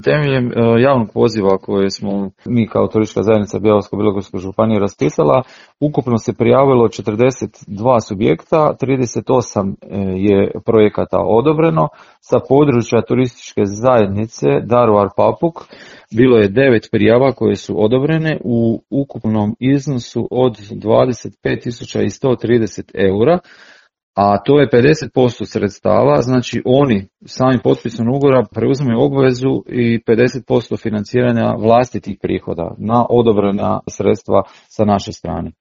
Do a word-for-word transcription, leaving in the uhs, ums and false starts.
temeljem javnog poziva koje smo mi kao turistička zajednica Bjelovarsko-bilogorske županije raspisala, ukupno se prijavilo četrdeset dva subjekta, trideset osam je projekata odobreno. Sa područja turističke zajednice Daruvar-Papuk bilo je devet prijava koje su odobrene u ukupnom iznosu od dvadeset pet tisuća sto trideset eura, a to je pedeset posto sredstava, znači oni sami potpisom ugovora preuzimaju obvezu i pedeset posto financiranja vlastitih prihoda na odobrena sredstva sa naše strane.